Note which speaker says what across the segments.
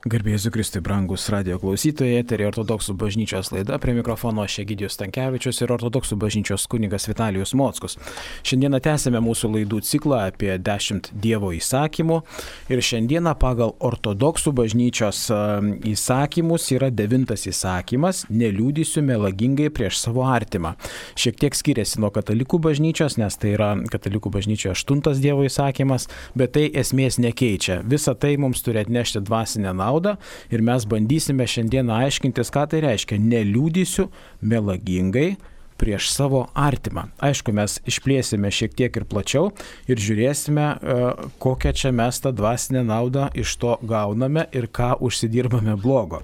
Speaker 1: Garbė Jėzui Kristui, brangus radijo klausytojai, eteryje Ortodoksų bažnyčios laida, prie mikrofono aš Egidijus Stankevičius ir Ortodoksų bažnyčios kunigas Vitalijus Mockus. Šiandieną tęsime mūsų laidų ciklą apie 10 Dievo įsakymų ir šiandieną pagal Ortodoksų bažnyčios įsakymus yra 9 įsakymas – neliūdysiu melagingai prieš savo artimą. Šiek tiek skiriasi nuo katalikų bažnyčios, nes tai yra katalikų bažnyčioje 8 Dievo įsakymas, bet tai esmės nekeičia. Visa tai mums turi atnešti dvasinę naudą ir mes bandysime šiandieną aiškintis, ką tai reiškia neliūdysiu melagingai prieš savo artimą. Aišku, mes išplėsime šiek tiek ir plačiau ir žiūrėsime, kokią čia mes tą dvasinę naudą iš to gauname ir ką užsidirbame blogo.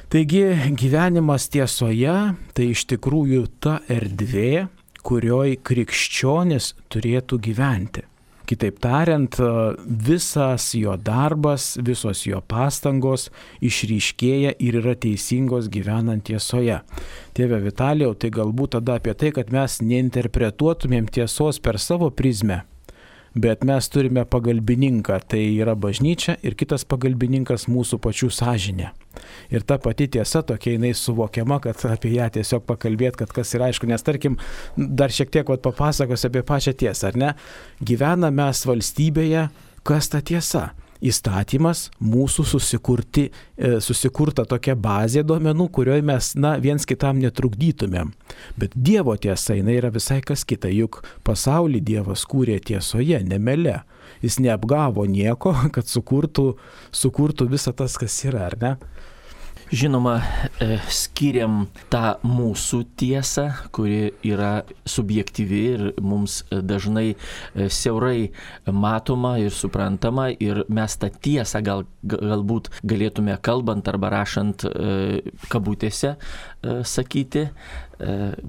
Speaker 1: Taigi, gyvenimas tiesoje tai iš tikrųjų ta erdvė, kurioj krikščionis turėtų gyventi. Kitaip tariant, visas jo darbas, visos jo pastangos išryškėja ir yra teisingos gyvenant tiesoje. Tėve Vitalijau, tai galbūt tada apie tai, kad mes neinterpretuotumėm tiesos per savo prizmę, bet mes turime pagalbininką, tai yra bažnyčia ir kitas pagalbininkas mūsų pačių sąžinė. Ir ta pati tiesa tokia jinai suvokiama, kad apie ją tiesiog pakalbėti, kad kas yra aišku, nes tarkim, dar šiek tiek papasakosiu apie pačią tiesą, ar ne? Gyvename mes valstybėje, kas ta tiesa? Įstatymas, mūsų susikurta tokia bazė duomenų, kurioje mes viens kitam netrukdytumėm. Bet Dievo tiesa, jinai yra visai kas kita, juk pasaulį Dievas kūrė tiesoje, ne mele. Jis neapgavo nieko, kad sukurtų visą tas, kas yra, ar ne?
Speaker 2: Žinoma, skiriam tą mūsų tiesą, kuri yra subjektyvi ir mums dažnai siaurai matoma ir suprantama, ir mes tą tiesą galbūt galėtume kalbant arba rašant kabutėse sakyti,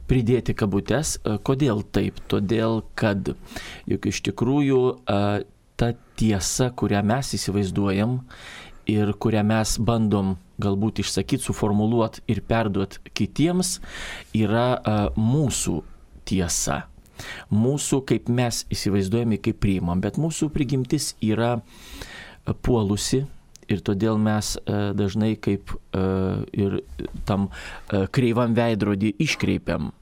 Speaker 2: pridėti kabutes. Kodėl taip? Todėl, kad juk iš tikrųjų ta tiesa, kurią mes įsivaizduojam ir kurią mes bandom galbūt išsakyti, suformuluoti ir perduoti kitiems, yra mūsų tiesa. Mūsų, kaip mes įsivaizduojame, kaip priimam, bet mūsų prigimtis yra puolusi ir todėl mes dažnai kaip ir tam kreivam veidrodį iškreipiam.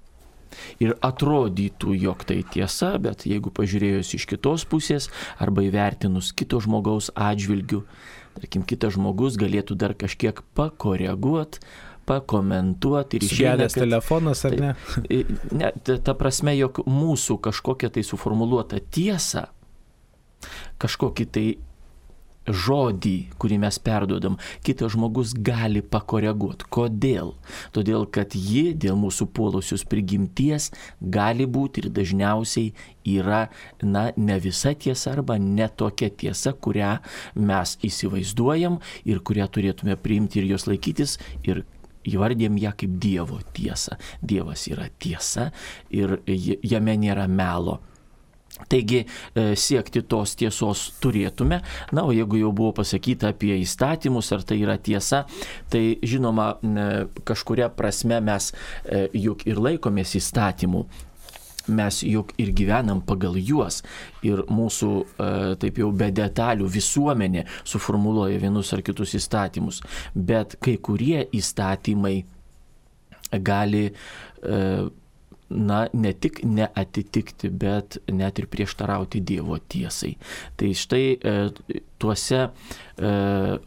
Speaker 2: Ir atrodytų, jog tai tiesa, bet jeigu pažiūrėjus iš kitos pusės arba įvertinus kito žmogaus atžvilgių, tarkim, kitas žmogus galėtų dar kažkiek pakoreguoti, pakomentuoti.
Speaker 1: Sugedęs telefonas, ar ne?
Speaker 2: Ne, ta prasme, jog mūsų kažkokia tai suformuluota tiesa, kažkokį tai žodį, kurį mes perduodam, kitas žmogus gali pakoreguoti. Kodėl? Todėl, kad ji dėl mūsų puolusios prigimties gali būti ir dažniausiai yra, ne visa tiesa arba ne tokia tiesa, kurią mes įsivaizduojam ir kurią turėtume priimti ir jos laikytis ir įvardėm ją kaip Dievo tiesą. Dievas yra tiesa ir jame nėra melo. Taigi siekti tos tiesos turėtume. O jeigu jau buvo pasakyta apie įstatymus, ar tai yra tiesa, tai žinoma, kažkuria prasme mes juk ir laikomės įstatymų. Mes juk ir gyvenam pagal juos ir mūsų, taip jau be detalių, visuomenė suformuluoja vienus ar kitus įstatymus. Bet kai kurie įstatymai gali ne tik neatitikti, bet net ir prieštarauti Dievo tiesai. Tai štai tuose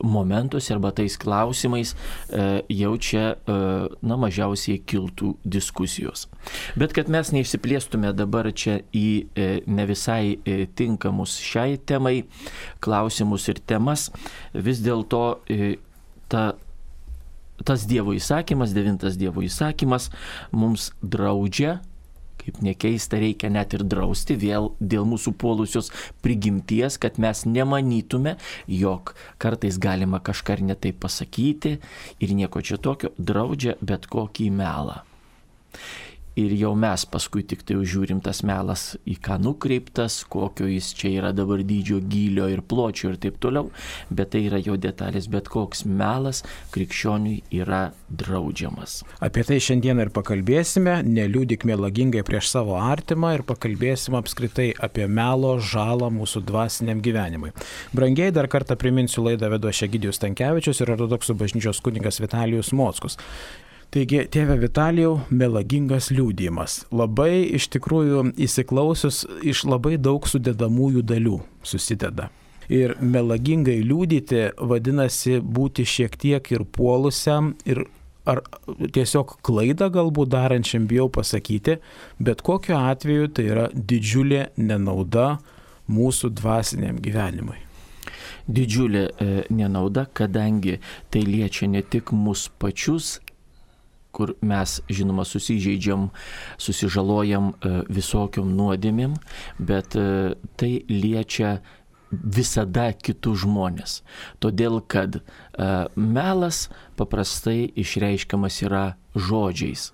Speaker 2: momentuose arba tais klausimais jau čia mažiausiai kiltų diskusijos. Bet kad mes neišsiplėstume dabar čia į ne visai tinkamus šiai temai klausimus ir temas, vis dėlto tas Dievo įsakymas, 9 Dievo įsakymas mums draudžia, kaip nekeista, reikia net ir drausti vėl dėl mūsų puolusios prigimties, kad mes nemanytume, jog kartais galima kažką ir ne taip pasakyti ir nieko čia tokio, draudžia bet kokį melą. ir jau mes paskui tik tai žiūrim tas melas į ką nukreiptas, kokio jis čia yra dabar dydžio, gylio ir pločio ir taip toliau, bet tai yra jo detalės, bet koks melas krikščioniui yra draudžiamas.
Speaker 1: Apie tai šiandien ir pakalbėsime, neliūdik melagingai prieš savo artimą ir pakalbėsime apskritai apie melo žalą mūsų dvasiniam gyvenimui. Brangiai, dar kartą priminsiu, laidą vedu aš Egidijus Stankevičius ir ortodoksų bažnyčios kunigas Vitalijus Mockus. Taigi, tėve Vitalijau, melagingas liudijimas. Labai iš tikrųjų įsiklausius iš labai daug sudedamųjų dalių susideda. Ir melagingai liudyti vadinasi būti šiek tiek ir puolusiam, ir ar tiesiog klaidą galbūt darančiam, bijau pasakyti, bet kokiu atveju tai yra didžiulė nenauda mūsų dvasiniam gyvenimui.
Speaker 2: Didžiulė nenauda, kadangi tai liečia ne tik mus pačius, kur mes, žinoma, susižeidžiam, susižalojam visokiom nuodėmėm, bet tai liečia visada kitus žmonės. Todėl, kad melas paprastai išreiškiamas yra žodžiais.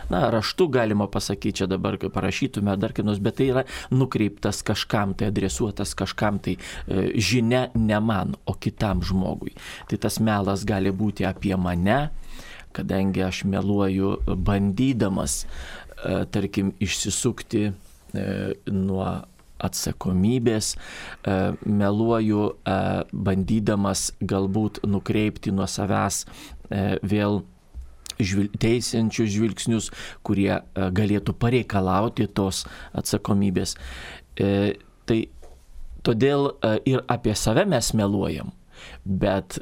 Speaker 2: Na, raštu galima pasakyti, čia dabar parašytume dar kaip nors, bet tai yra nukreiptas kažkam, tai adresuotas kažkam, tai žinia ne man, o kitam žmogui. Tai tas melas gali būti apie mane, kadangi aš meluoju bandydamas, tarkim, išsisukti nuo atsakomybės, meluoju bandydamas galbūt nukreipti nuo savęs vėl teisiančius žvilgsnius, kurie galėtų pareikalauti tos atsakomybės. Tai todėl ir apie save mes meluojam, bet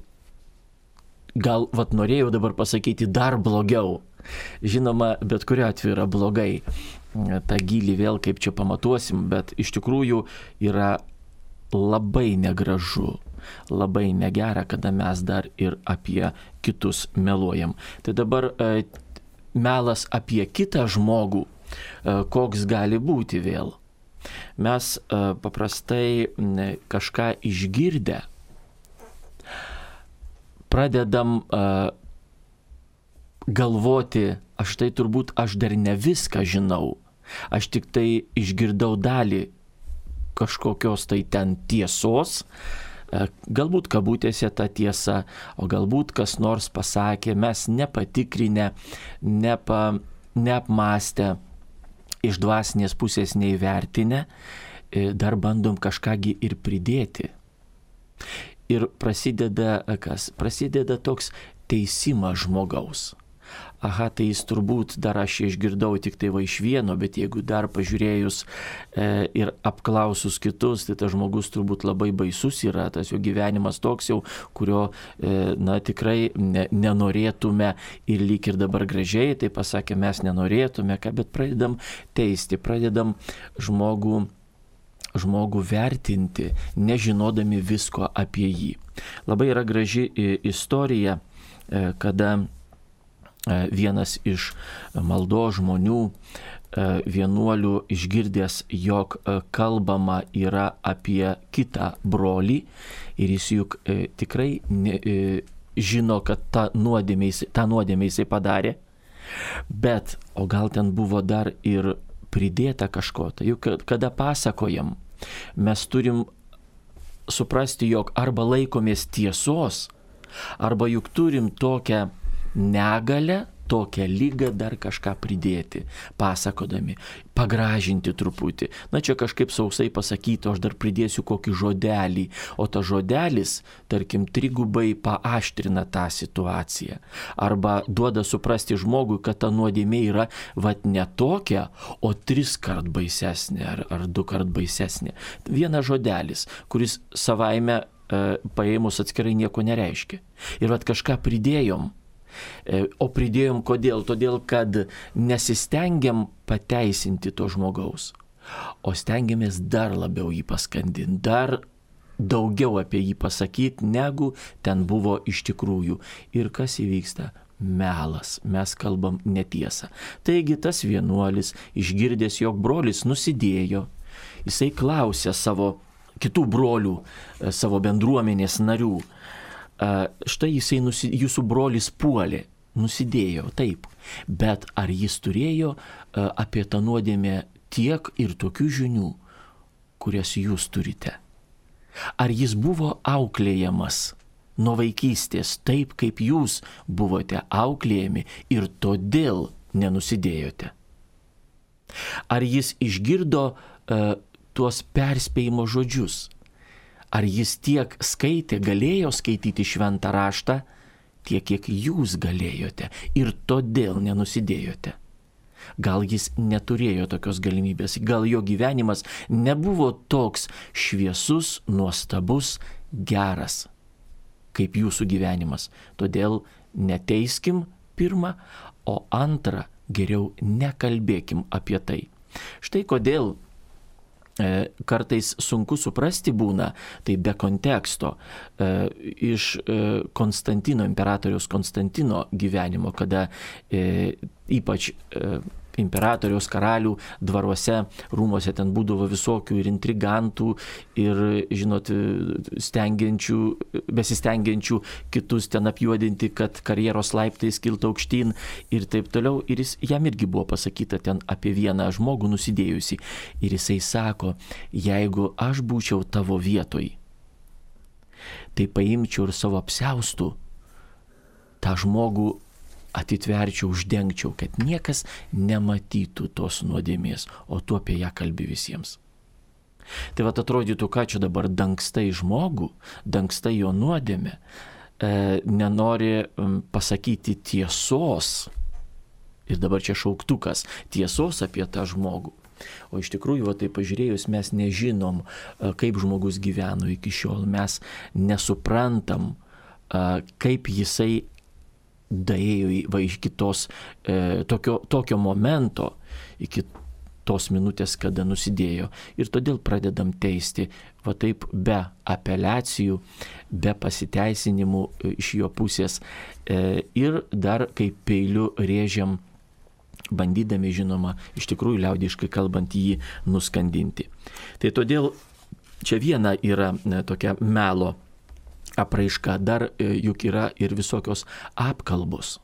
Speaker 2: gal norėjau dabar pasakyti dar blogiau. Žinoma, bet kuriuo atveju yra blogai. Ta gylį vėl kaip čia pamatuosim, bet iš tikrųjų yra labai negražu, labai negera, kada mes dar ir apie kitus meluojam. Tai dabar melas apie kitą žmogų, koks gali būti vėl. Mes paprastai kažką išgirdę pradedam galvoti, aš dar ne viską žinau, aš tik tai išgirdau dalį kažkokios tai ten tiesos, galbūt kabutėse ta tiesa, o galbūt kas nors pasakė, mes nepatikrinę, neapmastę, iš dvasinės pusės neįvertinę, dar bandom kažkągi ir pridėti. Ir prasideda kas? Prasideda toks teisimas žmogaus. Aha, tai jis turbūt dar aš išgirdau tik tai va iš vieno, bet jeigu dar pažiūrėjus ir apklausus kitus, tai tas žmogus turbūt labai baisus yra, tas jo gyvenimas toks jau, kurio tikrai nenorėtume ir lyg ir dabar gražiai, tai pasakė, mes nenorėtume, bet pradedam teisti, pradedam žmogų vertinti, nežinodami visko apie jį. Labai yra graži istorija, kada vienas iš maldos žmonių, vienuolių, išgirdęs, jog kalbama yra apie kitą brolį ir jis juk tikrai žino, kad tą nuodėmę jisai padarė, bet o gal ten buvo dar ir pridėta kažko. Tai juk kada pasakojam, mes turim suprasti, jog arba laikomės tiesos, arba juk turim tokią negalę, tokią lygą dar kažką pridėti, pasakodami, pagražinti truputį. Na čia kažkaip sausai pasakyti, aš dar pridėsiu kokį žodelį, o ta žodelis, tarkim, trigubai paaštrina tą situaciją. Arba duoda suprasti žmogui, kad ta nuodėmė yra ne tokia, o 3 kart baisesnė ar 2 kart baisesnė. Vienas žodelis, kuris savaime paėmus atskirai nieko nereiškia. Ir kažką pridėjom. O pridėjom kodėl? Todėl, kad nesistengiam pateisinti to žmogaus, o stengiamės dar labiau jį paskandinti, dar daugiau apie jį pasakyti, negu ten buvo iš tikrųjų. Ir kas įvyksta? Melas. Mes kalbam netiesą. Taigi tas vienuolis, išgirdęs, jog brolis nusidėjo, jisai klausė savo kitų brolių, savo bendruomenės narių, štai jūsų brolis puolė. nusidėjo, taip, bet ar jis turėjo apie tą nuodėmę tiek ir tokių žinių, kurias jūs turite? Ar jis buvo auklėjamas nuo vaikystės taip, kaip jūs buvote auklėjami ir todėl nenusidėjote? Ar jis išgirdo tuos perspėjimo žodžius? Ar jis tiek skaitė, galėjo skaityti šventą raštą, tiek, kiek jūs galėjote ir todėl nenusidėjote? Gal jis neturėjo tokios galimybės, gal jo gyvenimas nebuvo toks šviesus, nuostabus, geras, kaip jūsų gyvenimas. Todėl neteiskim pirmą, o antrą geriau nekalbėkim apie tai. Štai kodėl kartais sunku suprasti būna, tai be konteksto, iš Konstantino, imperatoriaus Konstantino gyvenimo, kada ypač imperatoriaus karalių dvaruose, rūmose ten būdavo visokių ir intrigantų, ir, žinot, besistengiančių kitus ten apjuodinti, kad karjeros laiptais kiltų aukštyn ir taip toliau. Ir jam irgi buvo pasakyta ten apie vieną žmogų nusidėjusi. Ir jisai sako, jeigu aš būčiau tavo vietoj, tai paimčiau ir savo apsiaustų tą žmogų atitverčiau, uždengčiau, kad niekas nematytų tos nuodėmės, o tu apie ją kalbi visiems. Tai vat atrodytų, ką čia dabar dangstai žmogų, dangstai jo nuodėmę, nenori pasakyti tiesos. Ir dabar čia šauktukas, tiesos apie tą žmogų. O iš tikrųjų, tai pažiūrėjus, mes nežinom, kaip žmogus gyveno iki šiol, mes nesuprantam, kaip jisai daėjo iki tokio momento, iki tos minutės, kada nusidėjo. Ir todėl pradedam teisti, va taip, be apeliacijų, be pasiteisinimų iš jo pusės. Ir dar kaip peiliu rėžiam, bandydami, žinoma, iš tikrųjų liaudiškai kalbant, jį nuskandinti. Tai todėl čia viena yra tokia melo apraiška, dar juk yra ir visokios apkalbos.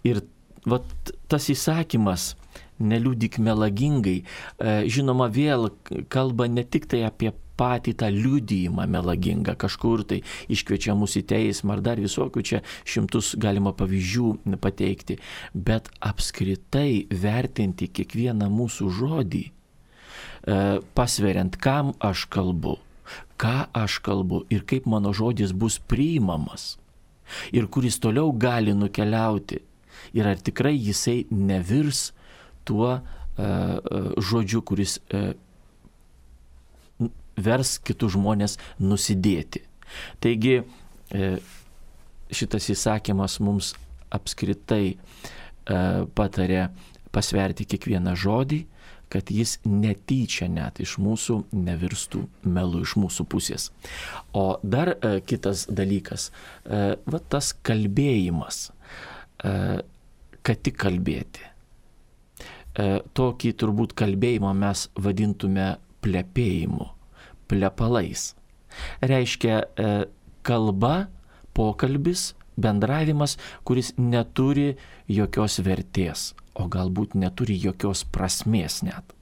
Speaker 2: Ir vat tas įsakymas, neliudyk melagingai, žinoma, vėl kalba ne tik tai apie patį tą liudijimą melagingą, kažkur tai iškviečia mus į teismą, ar dar visokių čia šimtus galima pavyzdžių pateikti, bet apskritai vertinti kiekvieną mūsų žodį, pasveriant, kam aš kalbu, ką aš kalbu ir kaip mano žodis bus priimamas ir kuris toliau gali nukeliauti ir ar tikrai jisai nevirs tuo žodžiu, kuris vers kitus žmonės nusidėti. Taigi šitas įsakymas mums apskritai patarė pasverti kiekvieną žodį, kad jis netyčia net iš mūsų nevirstų melu iš mūsų pusės. O dar kitas dalykas, va tas kalbėjimas, kad tik kalbėti. Tokį turbūt kalbėjimą mes vadintume plepėjimu, plepalais. Reiškia kalba, pokalbis, bendravimas, kuris neturi jokios vertės, o galbūt neturi jokios prasmės net.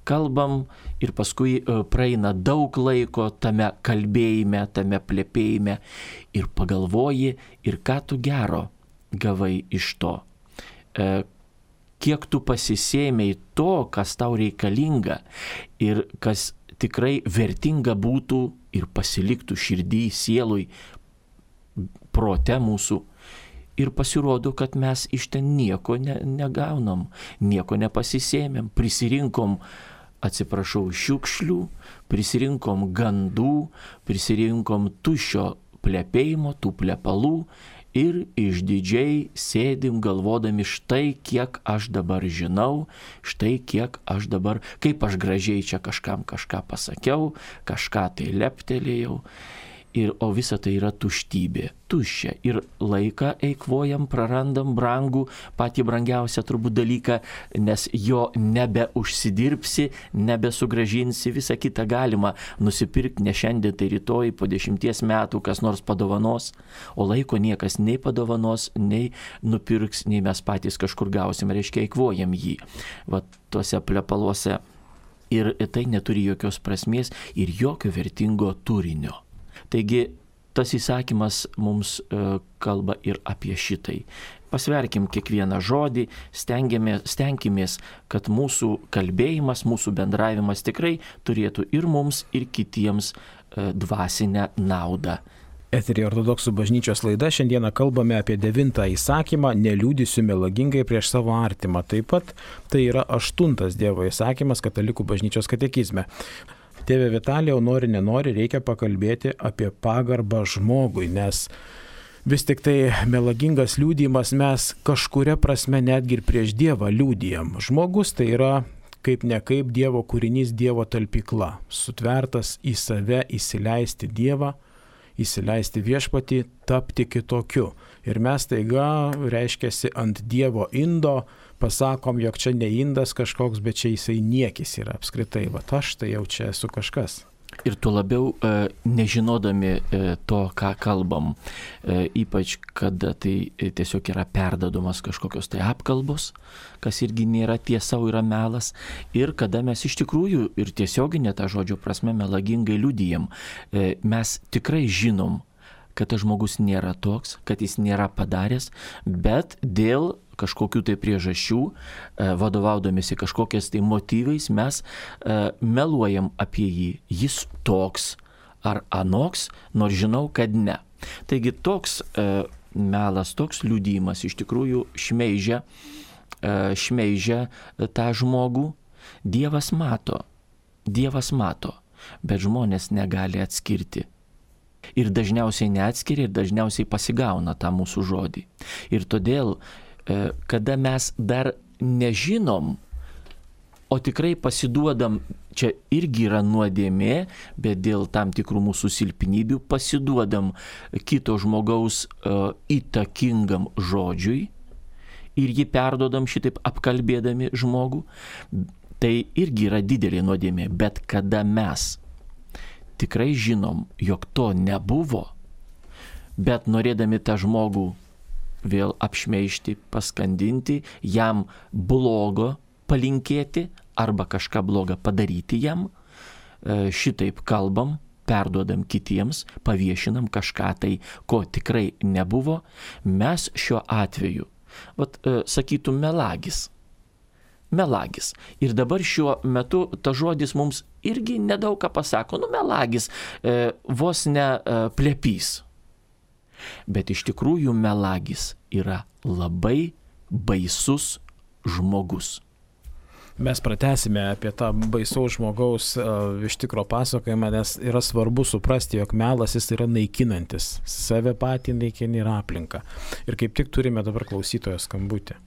Speaker 2: Kalbam ir paskui praeina daug laiko tame kalbėjime, tame plepėjime ir pagalvoji, ir ką tu gero gavai iš to. Kiek tu pasisėmei to, kas tau reikalinga ir kas tikrai vertinga būtų ir pasiliktų širdį, sielui, prote mūsų. Ir pasirodo, kad mes iš ten nieko negaunam, nieko nepasisėmėm, prisirinkom, atsiprašau, šiukšlių, prisirinkom gandų, prisirinkom tuščio plepėjimo, tų plepalų ir išdidžiai sėdim galvodami, štai kiek aš dabar žinau, štai kiek aš dabar, kaip aš gražiai čia kažkam kažką pasakiau, kažką tai leptelėjau. o visa tai yra tuštybė, tuščia. Ir laiką eikvojam, prarandam brangų, patį brangiausią turbūt dalyką, nes jo nebeužsidirbsi, nebesugrąžinsi, visą kitą galima nusipirkti ne šiandien, tai rytoj, po 10 metų kas nors padovanos, o laiko niekas nei padovanos, nei nupirks, nei mes patys kažkur gausim, reiškia eikvojam jį. Va tuose plepaluose. Ir tai neturi jokios prasmės ir jokio vertingo turinio. Taigi tas įsakymas mums kalba ir apie šitai. Pasverkim kiekvieną žodį, stenkimės, kad mūsų kalbėjimas, mūsų bendravimas tikrai turėtų ir mums, ir kitiems dvasinę naudą.
Speaker 1: Eteryje Ortodoksų bažnyčios laida. Šiandieną kalbame apie 9 įsakymą neliudysiu melagingai prieš savo artimą. Taip pat tai yra 8 Dievo įsakymas katalikų bažnyčios katekizme. Tėve Vitalijau, nori nenori, reikia pakalbėti apie pagarbą žmogui, nes vis tik tai melagingas liudijimas mes kažkuria prasme netgi ir prieš Dievą liudijam. Žmogus tai yra kaip ne kaip Dievo kūrinys, Dievo talpykla, sutvertas į save įsileisti Dievą, įsileisti viešpatį, tapti kitokiu. Ir mes taiga, reiškiasi, ant Dievo indo pasakom, jog čia ne indas kažkoks, bet čia jisai niekis yra apskritai. Va aš tai jau čia esu kažkas.
Speaker 2: Ir tuo labiau nežinodami to, ką kalbam, ypač kada tai tiesiog yra perdadomas kažkokios tai apkalbos, kas irgi nėra tiesa, yra melas, ir kada mes iš tikrųjų ir tiesioginė ta žodžio prasme melagingai liudijam, mes tikrai žinom, kad tas žmogus nėra toks, kad jis nėra padaręs, bet dėl kažkokių tai priežasčių, vadovaudamėsi kažkokiais tai motyvais, mes meluojam apie jį. Jis toks ar anoks, nors žinau, kad ne. Taigi toks melas, toks liudijimas iš tikrųjų šmeižia tą žmogų. Dievas mato, bet žmonės negali atskirti. Ir dažniausiai neatskiria ir dažniausiai pasigauna tą mūsų žodį. Ir todėl kada mes dar nežinom, o tikrai pasiduodam, čia irgi yra nuodėmė, bet dėl tam tikrų mūsų silpnybių pasiduodam kito žmogaus įtakingam žodžiui ir jį perdodam šitaip apkalbėdami žmogų, tai irgi yra didelė nuodėmė. Bet kada mes tikrai žinom, jog to nebuvo, bet norėdami tą žmogų vėl apšmeižti, paskandinti, jam blogo palinkėti arba kažką blogą padaryti jam, šitaip kalbam, perduodam kitiems, paviešinam kažką tai, ko tikrai nebuvo, mes šiuo atveju, sakytum, melagis. Ir dabar šiuo metu ta žodis mums irgi nedaug ką pasako, melagis, vos ne plepys. Bet iš tikrųjų melagis yra labai baisus žmogus.
Speaker 1: Mes pratęsime apie tą baisaus žmogaus iš tikro pasakojimą, nes yra svarbu suprasti, jog melas jis yra naikinantis. Save patį naikini ir aplinką. Ir kaip tik turime dabar klausytojo skambutį.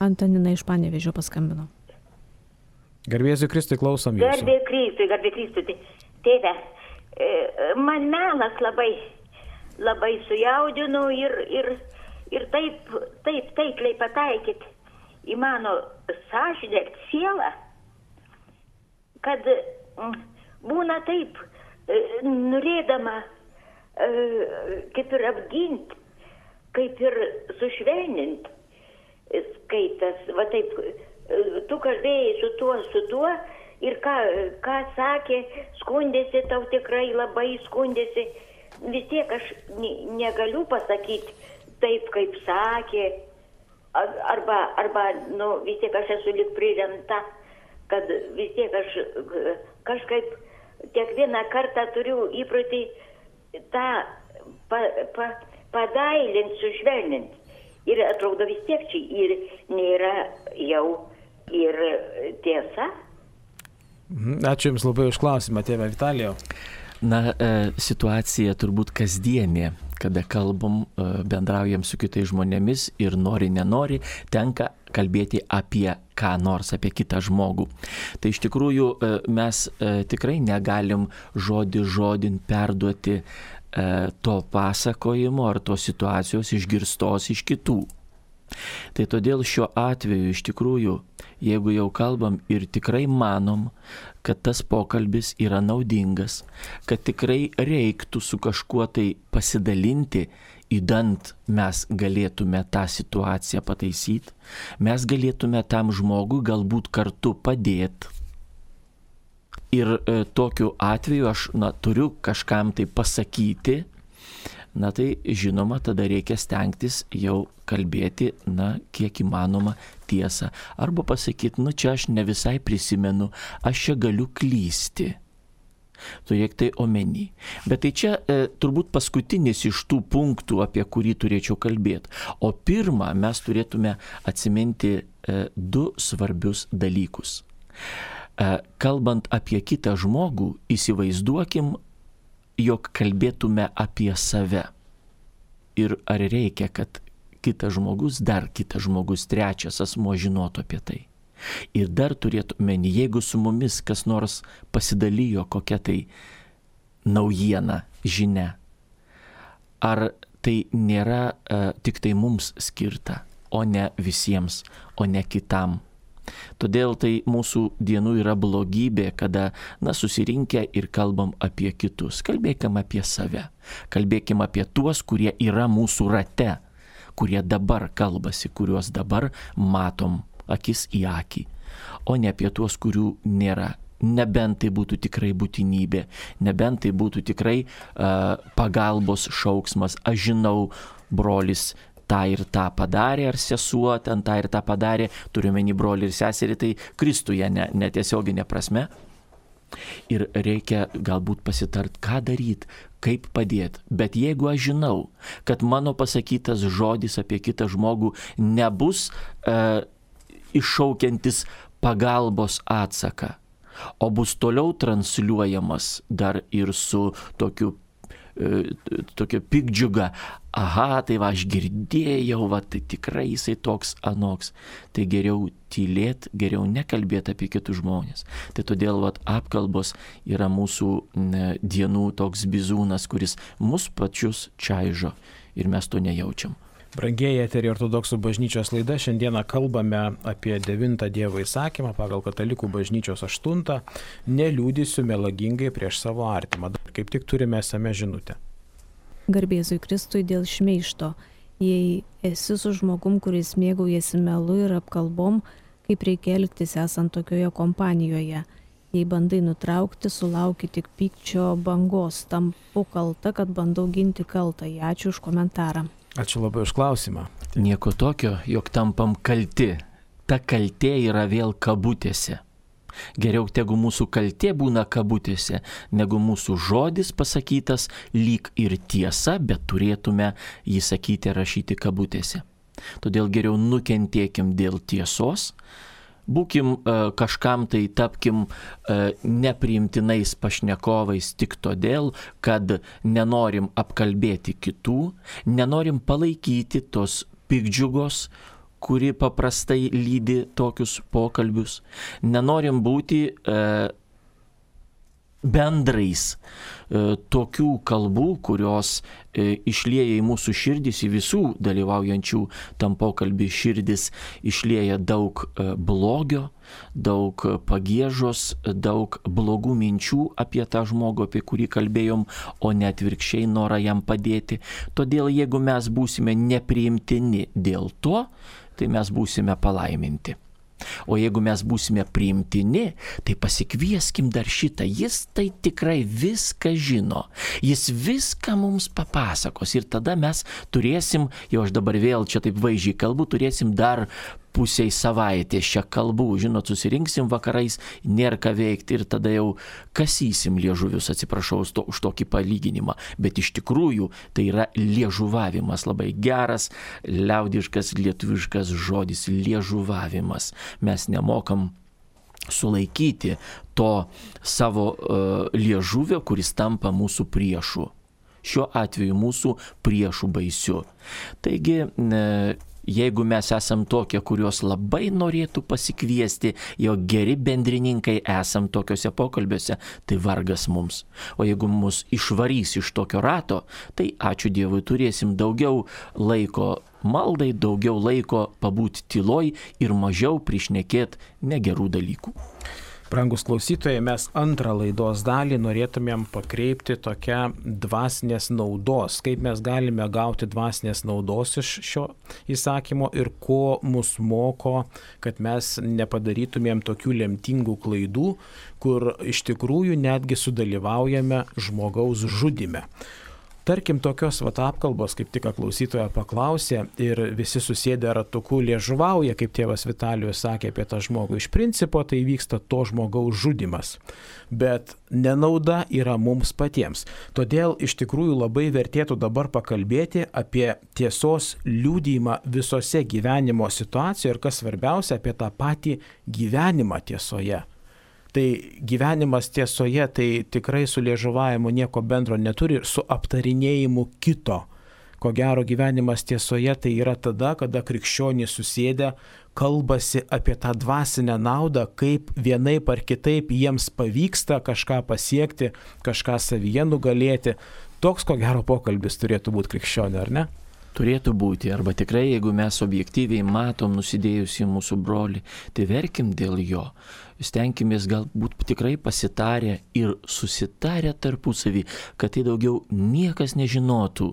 Speaker 3: Antanina iš Panevėžio paskambino.
Speaker 1: Garbėsiu Kristui, klausom jūsų.
Speaker 4: Garbė Kristui. Tėve, man melas labai sujaudino ir taip taikliai pataikyt į mano sąžinę ir sielą, kad būna taip, norėdama kaip ir apginti, kaip ir sušvelninti, skaitas, va taip, tu kalbėjai su tuo ir ką sakė, skundėsi, tau tikrai labai skundėsi. Vis tiek aš negaliu pasakyti taip, kaip sakė, arba vis tiek aš esu lyg priremta, kad vis tiek aš kažkaip kiekvieną kartą turiu įprotį tą padailinti, sušvelninti. Ir atrodo vis tiek čia ir nėra jau ir tiesa.
Speaker 1: Ačiū Jums labai už klausimą, tėve Vitalijau.
Speaker 2: Situacija turbūt kasdienė, kada kalbam, bendraujam su kitais žmonėmis ir nori, nenori, tenka kalbėti apie ką nors apie kitą žmogų. Tai iš tikrųjų mes tikrai negalim žodin perduoti to pasakojimo ar tos situacijos išgirstos iš kitų. Tai todėl šiuo atveju iš tikrųjų, jeigu jau kalbam ir tikrai manom, kad tas pokalbis yra naudingas, kad tikrai reiktų su kažkuo tai pasidalinti, idant mes galėtume tą situaciją pataisyti, mes galėtume tam žmogui galbūt kartu padėti. Ir tokiu atveju aš turiu kažkam tai pasakyti, tai žinoma, tada reikia stengtis jau kalbėti, kiek įmanoma tiesą. Arba pasakyti, čia aš ne visai prisimenu, aš čia galiu klysti. Turėk tai omeny. Bet tai čia turbūt paskutinis iš tų punktų, apie kurį turėčiau kalbėti. O pirmą mes turėtume atsiminti du svarbius dalykus. Kalbant apie kitą žmogų, įsivaizduokim, jog kalbėtume apie save. Ir ar reikia, kad kitas žmogus, trečias asmuo žinotų apie tai. Ir dar turėtume, jeigu su mumis kas nors pasidalijo kokia tai naujiena, žinia, ar tai nėra tik tai mums skirta, o ne visiems, o ne kitam. Todėl tai mūsų dienų yra blogybė, kada susirinkę ir kalbam apie kitus. Kalbėkim apie save. Kalbėkim apie tuos, kurie yra mūsų rate, kurie dabar kalbasi, kuriuos dabar matom akis į akį, o ne apie tuos, kurių nėra. Nebent tai būtų tikrai būtinybė, nebent tai būtų tikrai pagalbos šauksmas. Aš žinau, brolis tą ir tą padarė, ar sesuo ten tą ir tą padarė, turiuomenį brolį ir seserį, tai Kristuje netiesioginė prasme. Ir reikia galbūt pasitart, ką daryti, kaip padėti. Bet jeigu aš žinau, kad mano pasakytas žodis apie kitą žmogų nebus iššaukiantis pagalbos atsaką, o bus toliau transliuojamas dar ir su tokiu pikdžiuga, tai va aš girdėjau, tai tikrai jisai toks anoks. Tai geriau tylėt, geriau nekalbėti apie kitus žmonės. Tai todėl apkalbos yra mūsų dienų toks bizūnas, kuris mus pačius čaižo ir mes to nejaučiam.
Speaker 1: Brangieji, eteryje Ortodoksų bažnyčios laida. Šiandieną kalbame apie 9 Dievo įsakymą pagal Katalikų bažnyčios 8. Neliūdysiu melagingai prieš savo artimą. Kaip tik turime esame žinutę.
Speaker 3: Garbėzui Kristui dėl šmeižto. Jei esi su žmogum, kuris mėgaujasi melu ir apkalbom, kaip reikia elgtis esant tokioje kompanijoje. Jei bandai nutraukti, sulauki tik pykčio bangos. Tampu kalta, kad bandau ginti kaltąjį. Ačiū už komentarą.
Speaker 1: Ačiū labai už klausimą.
Speaker 2: Nieko tokio, jog tampam kalti. Ta kaltė yra vėl kabutėse. Geriau tegu mūsų kaltė būna kabutėse, negu mūsų žodis pasakytas lyg ir tiesa, bet turėtume jį sakyti ir rašyti kabutėse. Todėl geriau nukentėkim dėl tiesos, būkim kažkam tai tapkim nepriimtinais pašnekovais tik todėl, kad nenorim apkalbėti kitų, nenorim palaikyti tos pikdžiugos, kuri paprastai lydi tokius pokalbius. Nenorim būti bendrais tokių kalbų, kurios išlieja į mūsų širdis, į visų dalyvaujančių tam pokalbį širdis, išlieja daug blogio, daug pagiežos, daug blogų minčių apie tą žmogų, apie kurį kalbėjom, o ne atvirkščiai norą jam padėti. Todėl jeigu mes būsime nepriimtini dėl to, tai mes būsime palaiminti. O jeigu mes būsime priimtini, tai pasikvieskim dar šitą. Jis tai tikrai viską žino. Jis viską mums papasakos. Ir tada mes turėsim, jau aš dabar vėl čia taip vaizdžiai kalbu, turėsim dar pusiai savaitės čia kalbų. Žinot, susirinksim vakarais, nėra ką veikti ir tada jau kasysim liežuvius, atsiprašau už tokį palyginimą. Bet iš tikrųjų tai yra liežuvavimas, labai geras, liaudiškas, lietuviškas žodis, liežuvavimas. Mes nemokam sulaikyti to savo liežuvio, kuris tampa mūsų priešu. Šiuo atveju mūsų priešų baisiu. Taigi, jeigu mes esam tokie, kuriuos labai norėtų pasikviesti, jo geri bendrininkai esam tokiuose pokalbiuose, tai vargas mums. O jeigu mus išvarys iš tokio rato, tai ačiū Dievui, turėsim daugiau laiko maldai, daugiau laiko pabūti tyloj ir mažiau prišnekėti negerų dalykų.
Speaker 1: Brangus klausytojai, mes antrą laidos dalį norėtumėm pakreipti tokią dvasinės naudos, kaip mes galime gauti dvasinės naudos iš šio įsakymo ir ko mus moko, kad mes nepadarytumėm tokių lemtingų klaidų, kur iš tikrųjų netgi sudalyvaujame žmogaus žudyme. Tarkim, tokios apkalbos, kaip tik klausytoja paklausė ir visi susėdę ratuku liežuvauja, kaip tėvas Vitalijus sakė apie tą žmogų. Iš principo tai vyksta to žmogaus žudymas, bet nenauda yra mums patiems. Todėl iš tikrųjų labai vertėtų dabar pakalbėti apie tiesos liudijimą visose gyvenimo situacijose ir kas svarbiausia, apie tą patį gyvenimą tiesoje. Tai gyvenimas tiesoje tai tikrai su liežuvavimu nieko bendro neturi ir su aptarinėjimu kito. Ko gero gyvenimas tiesoje tai yra tada, kada krikščionys susėdę kalbasi apie tą dvasinę naudą, kaip vienaip ar kitaip jiems pavyksta kažką pasiekti, kažką savyje nugalėti. Toks ko gero pokalbis turėtų būti krikščionio, ar ne?
Speaker 2: Turėtų būti, arba tikrai, jeigu mes objektyviai matom nusidėjusį mūsų brolį, tai verkim dėl jo. Stenkimės galbūt tikrai pasitarę ir susitarę tarpusavį, kad tai daugiau niekas nežinotų,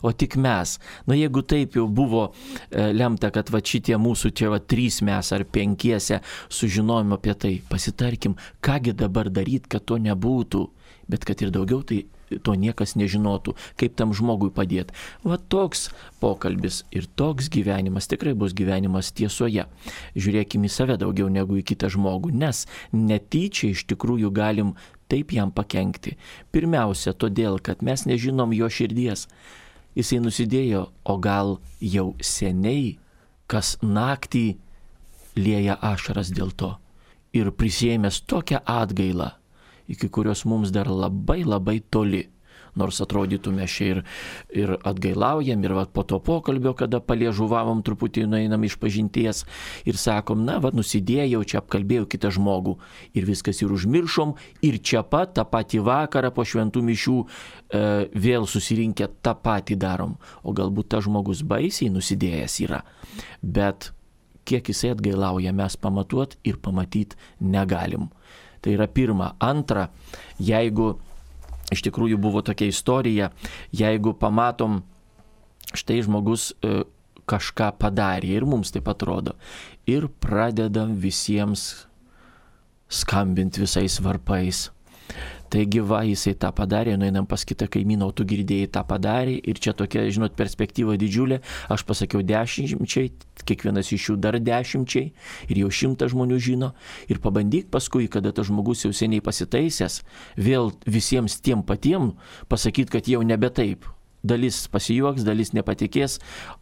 Speaker 2: o tik mes. Jeigu taip jau buvo lemta, kad šitie mūsų čia 3 mes ar 5 sužinojom apie tai, pasitarkim, kągi dabar daryti, kad to nebūtų, bet kad ir daugiau tai to niekas nežinotų, kaip tam žmogui padėti. Toks pokalbis ir toks gyvenimas tikrai bus gyvenimas tiesoje. Žiūrėkime į save daugiau negu į kitą žmogų, nes netyčia iš tikrųjų galim taip jam pakenkti. Pirmiausia, todėl, kad mes nežinom jo širdies. Jisai nusidėjo, o gal jau seniai, kas naktį lieja ašaras dėl to ir prisėmęs tokią atgailą, iki kurios mums dar labai labai toli. Nors atrodytume čia ir atgailaujam, ir po to pokalbio, kada paliežuvavom truputį, nueinam iš pažinties ir sakom, nusidėjau, čia apkalbėjau kitą žmogų ir viskas ir užmiršom ir čia pat tą patį vakarą po šventų mišių vėl susirinkę tą patį darom. O galbūt tas žmogus baisiai nusidėjęs yra, bet kiek jisai atgailauja, mes pamatuot ir pamatyt negalim. Tai yra pirma. Antra, jeigu iš tikrųjų buvo tokia istorija, jeigu pamatom, štai žmogus kažką padarė ir mums taip atrodo, ir pradedam visiems skambinti visais varpais. Taigi jisai tą padarė, nueinam pas kitą kaimyną, o tu girdėjai tą padarė ir čia tokia, perspektyva didžiulė, aš pasakiau 10, kiekvienas iš jų dar 10 ir jau 100 žmonių žino ir pabandyk paskui, kada tas žmogus jau seniai pasitaisęs, vėl visiems tiem patiem pasakyti, kad jau nebe taip. Dalis pasijuoks, dalis nepatikės,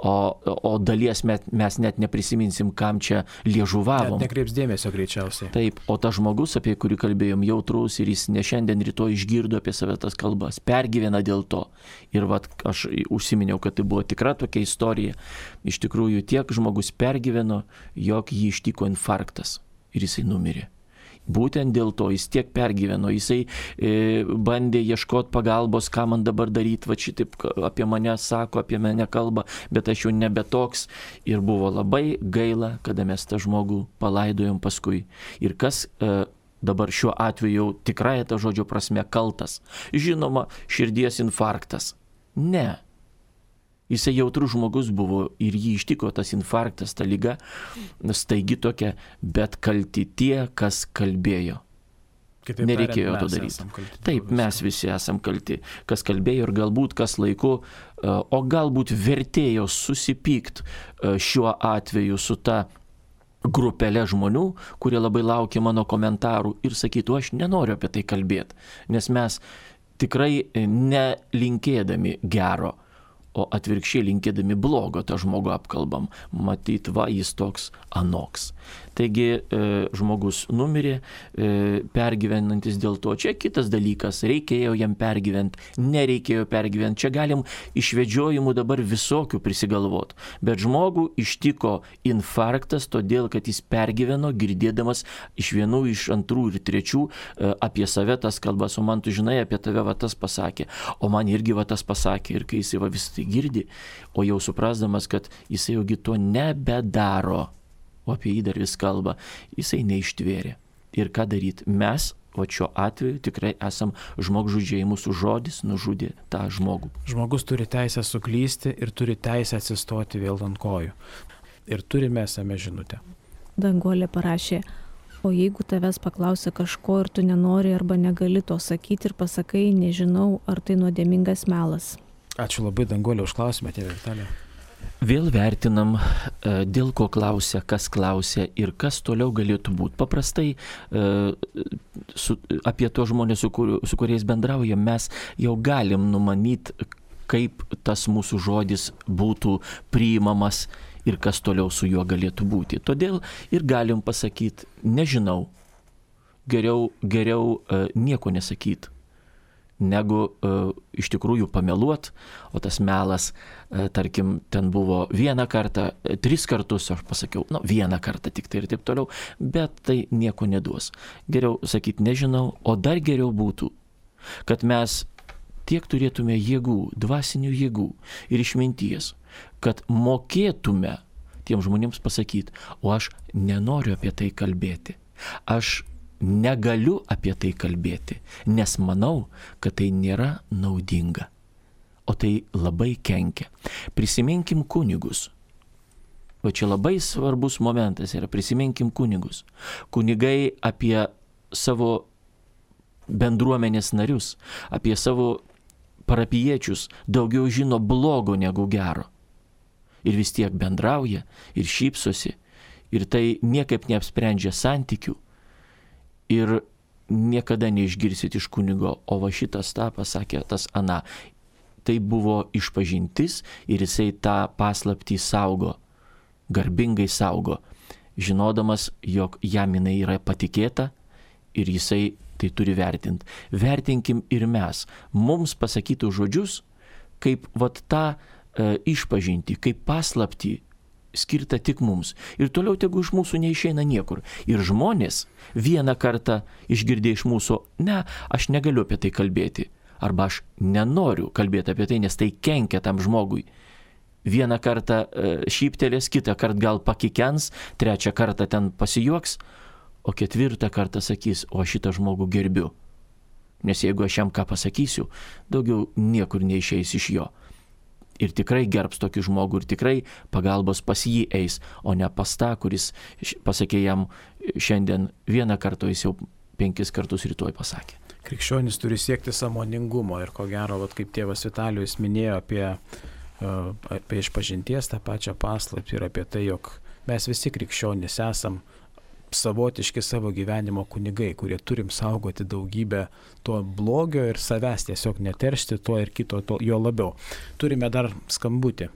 Speaker 2: o dalies mes net neprisiminsim, kam čia liežuvavom.
Speaker 1: Net nekreips dėmesio greičiausiai.
Speaker 2: Taip, o tas žmogus, apie kurį kalbėjom, jautrus ir jis ne šiandien rytoj išgirdo apie save tas kalbas, pergyvena dėl to. Ir aš užsiminiau, kad tai buvo tikra tokia istorija. Iš tikrųjų tiek žmogus pergyveno, jog jį ištiko infarktas ir jisai numirė. Būtent dėl to jis tiek pergyveno, jisai bandė ieškoti pagalbos, ką man dabar daryti, šitaip apie mane sako, apie mane kalba, bet aš jau nebe toks ir buvo labai gaila, kada mes tą žmogų palaidojom paskui. Ir kas dabar šiuo atveju jau tikrai tą žodžio prasme kaltas? Žinoma, širdies infarktas. Ne. Jisai jautrus žmogus buvo ir jį ištiko tas infarktas, ta liga, staigi tokia, bet kalti tie, kas kalbėjo.
Speaker 1: Kitaip
Speaker 2: nereikėjo to daryti. Taip, mes visi esam kalti, kas kalbėjo ir galbūt kas laiku, o galbūt vertėjo susipykt šiuo atveju su ta grupelė žmonių, kurie labai laukia mano komentarų ir sakytų, aš nenoriu apie tai kalbėti, nes mes tikrai nelinkėdami gero, o atvirkščiai linkėdami blogo tą žmogų apkalbam. Matyt, jis toks anoks. Taigi žmogus numirė, pergyvenantis dėl to. Čia kitas dalykas, reikėjo jam pergyventi, nereikėjo pergyventi. Čia galim išvedžiojimų dabar visokių prisigalvoti. Bet žmogų ištiko infarktas, todėl kad jis pergyveno, girdėdamas iš vienų, iš antrų ir trečių apie save tas kalbas, o man tu žinai, apie tave va tas pasakė, o man irgi va tas pasakė. Ir kai jisai va vis tai girdi, o jau suprasdamas, kad jisai jaugi to nebedaro, o apie jį dar vis kalba, jisai neištvėrė. Ir ką daryti? Mes, o šiuo atveju tikrai esam žmogžudžiai, mūsų žodis nužudė tą žmogų.
Speaker 1: Žmogus turi teisę suklysti ir turi teisę atsistoti vėl ant kojų. Ir turime esame žinutę.
Speaker 3: Danguolė parašė, o jeigu tavęs paklausia kažko ir tu nenori arba negali to sakyti ir pasakai, nežinau, ar tai nuodėmingas melas.
Speaker 1: Ačiū labai, Danguolė, už klausimą, tėvė Vitalija.
Speaker 2: Vėl vertinam, dėl ko klausia, kas klausia ir kas toliau galėtų būti. Paprastai apie to žmonės, su kuriais bendraujam, mes jau galim numanyti, kaip tas mūsų žodis būtų priimamas ir kas toliau su juo galėtų būti. Todėl ir galim pasakyti, nežinau, geriau nieko nesakyti, negu iš tikrųjų pameluot, o tas melas, tarkim, ten buvo vieną kartą, 3 kartus, aš pasakiau, vieną kartą tik tai ir taip toliau, bet tai nieko neduos. Geriau sakyti nežinau, o dar geriau būtų, kad mes tiek turėtume jėgų, dvasinių jėgų ir išminties, kad mokėtume tiem žmonėms pasakyti, o aš nenoriu apie tai kalbėti. Aš negaliu apie tai kalbėti, nes manau, kad tai nėra naudinga, o tai labai kenkia. Prisiminkim kunigus. O čia labai svarbus momentas yra, prisiminkim kunigus. Kunigai apie savo bendruomenės narius, apie savo parapijiečius daugiau žino blogo negu gero. Ir vis tiek bendrauja ir šypsosi, ir tai niekaip neapsprendžia santykių. Ir niekada neišgirsit iš kunigo, o va šitas tą pasakė, tas aną. Tai buvo išpažintis ir jisai tą paslaptį saugo, garbingai saugo, žinodamas, jog jam jinai yra patikėta ir jisai tai turi vertinti. Vertinkim ir mes. Mums pasakytų žodžius, kaip vat tą išpažinti, kaip paslaptį, skirta tik mums. Ir toliau tegu iš mūsų neišeina niekur. Ir žmonės vieną kartą išgirdė iš mūsų, ne, aš negaliu apie tai kalbėti. Arba aš nenoriu kalbėti apie tai, nes tai kenkia tam žmogui. Vieną kartą šyptelės, kitą kartą gal pakikens, trečią kartą ten pasijuoks, o 4 kartą sakys, o šitą žmogų gerbiu. Nes jeigu aš jam ką pasakysiu, daugiau niekur neišeis iš jo. Ir tikrai gerbs tokį žmogų, ir tikrai pagalbos pas jį eis, o ne pas tą, kuris pasakė jam šiandien vieną kartą, jis jau 5 kartus rytoj pasakė.
Speaker 1: Krikščionis turi siekti sąmoningumo ir ko gero, kaip tėvas Vitalijus minėjo apie išpažinties tą pačią paslaptį ir apie tai, jog mes visi krikščionys esam savotiški savo gyvenimo kunigai, kurie turim saugoti daugybę to blogio ir savęs tiesiog neteršti to ir kito, to, jo labiau. Turime dar skambutį.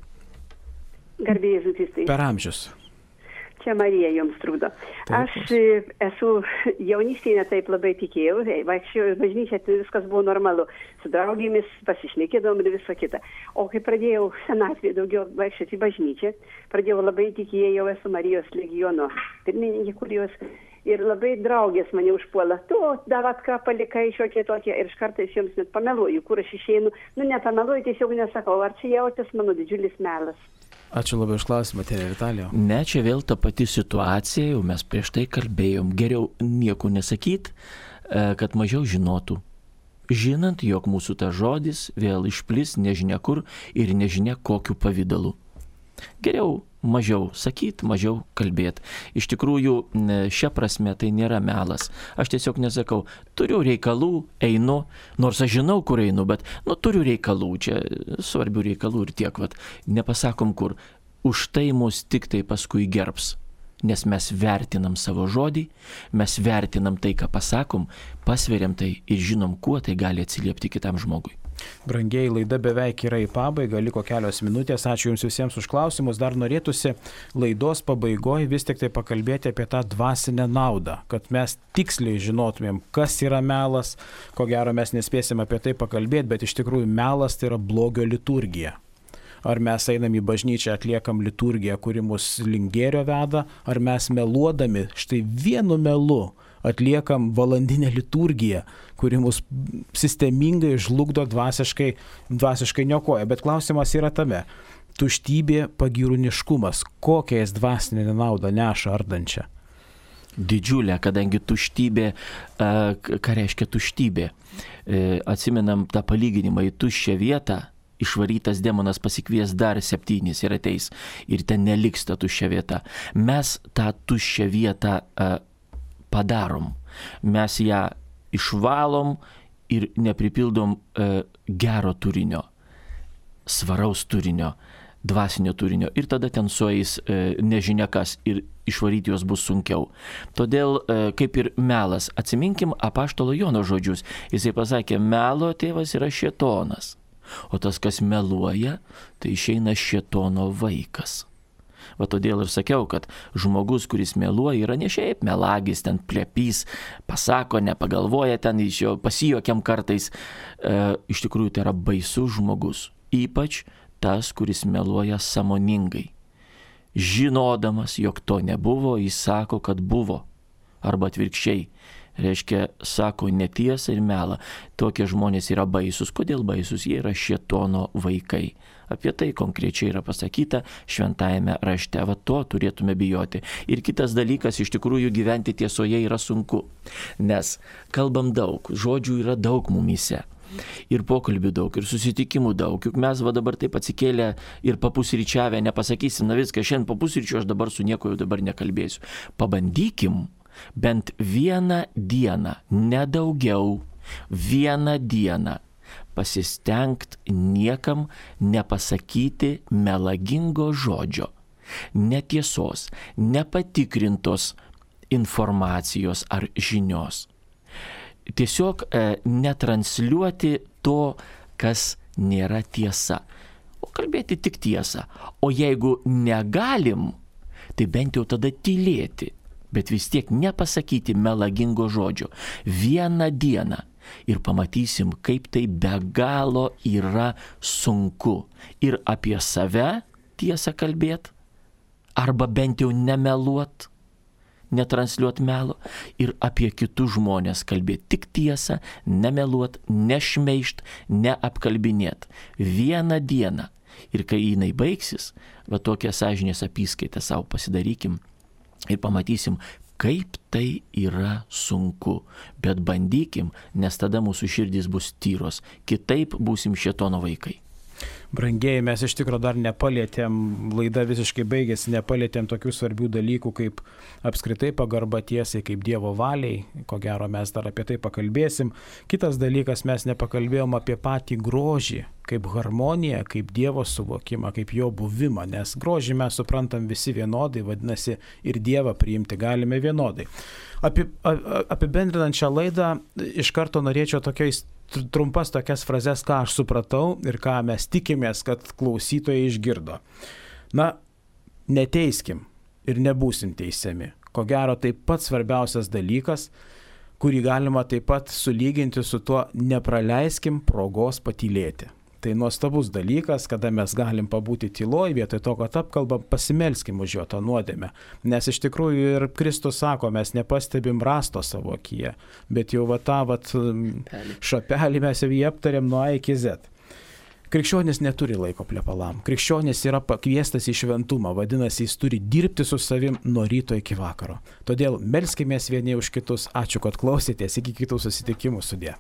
Speaker 5: Garbė Jėzui Kristui.
Speaker 1: Per amžius.
Speaker 5: Čia Marija jums trukdo. Aš esu jaunystėje taip labai tikėjau, vaikščiau į bažnyčią, tai viskas buvo normalu. Su draugėmis pasišnekėdavom ir viso kita. O kai pradėjau senatvėje daugiau vaikščioti į bažnyčią, pradėjau labai tikėjau, esu Marijos legiono pirmininkė, kurijos, ir labai draugės mane užpuola. Tu, davat ką palikai šiokie tokie, ir iš kartais jums net pameluoju, kur aš išeinu. Nepameluoju, tiesiog nesakau, ar čia jautės mano didžiulis melas.
Speaker 1: Ačiū labai už klausimą, tėvė Vitalija.
Speaker 2: Ne, čia vėl ta pati situacija, jau mes prieš tai kalbėjom. Geriau nieko nesakyt, kad mažiau žinotų. Žinant, jog mūsų ta žodis vėl išplis nežinia kur ir nežinia kokiu pavidalu. Geriau mažiau sakyt, mažiau kalbėt. Iš tikrųjų, šia prasme tai nėra melas. Aš tiesiog nesakau, turiu reikalų, einu, nors aš žinau, kur einu, bet turiu reikalų, čia svarbių reikalų ir tiek, nepasakom kur. Už tai mus tik tai paskui gerbs, nes mes vertinam savo žodį, mes vertinam tai, ką pasakom, pasveriam tai ir žinom, kuo tai gali atsiliepti kitam žmogui.
Speaker 1: Brangiai, laida beveik yra į pabaigą, liko kelios minutės. Ačiū Jums visiems už klausimus. Dar norėtųsi laidos pabaigoje vis tik tai pakalbėti apie tą dvasinę naudą, kad mes tiksliai žinotumėm, kas yra melas. Ko gero mes nespėsim apie tai pakalbėti, bet iš tikrųjų melas tai yra blogio liturgija. Ar mes einam į bažnyčią, atliekam liturgiją, kuri mus link gėrio veda, ar mes meluodami štai vienu melu atliekam valandinę liturgiją, kuri mus sistemingai žlugdo, dvasiškai niokoja. Bet klausimas yra tame. Tuštybė, pagyrūniškumas. Kokią jis dvasinę naudą neša ardančią?
Speaker 2: Didžiulė, kadangi tuštybė, ką reiškia tuštybė? Atsimenam tą palyginimą, į tuščią vietą išvarytas demonas pasikvies dar 7 ir ateis. Ir ten neliks ta tuščia vieta. Mes tą tuščią vietą padarom. Mes ją išvalom ir nepripildom gero turinio, svaraus turinio, dvasinio turinio. Ir tada ten sueis nežinia kas ir išvaryti juos bus sunkiau. Todėl, kaip ir melas, atsiminkim apaštalo Jono žodžius. Jisai pasakė, melo tėvas yra šėtonas. O tas, kas meluoja, tai išeina šėtono vaikas. Va todėl ir sakiau, kad žmogus, kuris meluoja, yra ne šiaip melagis, ten plepys, pasako, nepagalvoja, ten iš jo pasijuokiam kartais. Iš tikrųjų tai yra baisus žmogus. Ypač tas, kuris meluoja sąmoningai. Žinodamas, jog to nebuvo, jis sako, kad buvo. Arba atvirkščiai. Reiškia, sako netiesą ir melą. Tokie žmonės yra baisus. Kodėl baisus? Jie yra šėtono vaikai. Apie tai konkrečiai yra pasakyta šventajame rašte. Va to turėtume bijoti. Ir kitas dalykas, iš tikrųjų gyventi tiesoje yra sunku. Nes kalbam daug, žodžių yra daug mumyse. Ir pokalbių daug, ir susitikimų daug. Juk mes va dabar taip atsikėlę ir papusryčiavę nepasakysim, na viską, šiandien papusryčiu aš dabar su nieko jau dabar nekalbėsiu. Pabandykim bent vieną dieną, nedaugiau, vieną dieną pasistengti niekam nepasakyti melagingo žodžio, netiesos, nepatikrintos informacijos ar žinios. Tiesiog netransliuoti to, kas nėra tiesa, o kalbėti tik tiesą. O jeigu negalim, tai bent jau tada tylėti. Bet vis tiek nepasakyti melagingo žodžio. Vieną dieną ir pamatysim, kaip tai be galo yra sunku. Ir apie save tiesą kalbėti, arba bent jau nemeluot, netransliuot melo, ir apie kitus žmonės kalbėti tik tiesą, nemeluot, nešmeišt, neapkalbinėt. Vieną dieną. Ir kai jinai baigsis, va tokią sąžinės apyskaitą savo pasidarykim. Ir pamatysim, kaip tai yra sunku. Bet bandykim, nes tada mūsų širdys bus tyros. Kitaip būsim šėtono vaikai.
Speaker 1: Brangieji, mes iš tikrųjų dar nepalėtėm, laida visiškai baigėsi, nepalėtėm tokių svarbių dalykų kaip apskritai pagarba tiesai, kaip Dievo valiai. Ko gero mes dar apie tai pakalbėsim. Kitas dalykas, mes nepakalbėjom apie patį grožį, kaip harmoniją, kaip Dievo suvokimą, kaip jo buvimą, nes grožį mes suprantam visi vienodai, vadinasi ir Dievą priimti galime vienodai. Apibendrinant šią laidą, iš karto norėčiau trumpas tokias frazes, ką aš supratau ir ką mes tikimės, kad klausytojai išgirdo. Na, neteiskim ir nebūsim teisiami. Ko gero, tai pats svarbiausias dalykas, kurį galima taip pat sulyginti su tuo nepraleiskim progos patylėti. Tai nuostabus dalykas, kada mes galim pabūti tyloj, vietoj to, kad apkalbam, pasimelskim už jo tą nuodėmę. Nes iš tikrųjų ir Kristus sako, mes nepastebim rasto savo akyje, bet jau šapelį mes jau jį aptarėm nuo A iki Z. Krikščionis neturi laiko plepalam. Krikščionis yra pakviestas į šventumą, vadinasi, jis turi dirbti su savim nuo ryto iki vakaro. Todėl melskimės vieni už kitus. Ačiū, kad klausėtės. Iki kitų susitikimų. Sudie.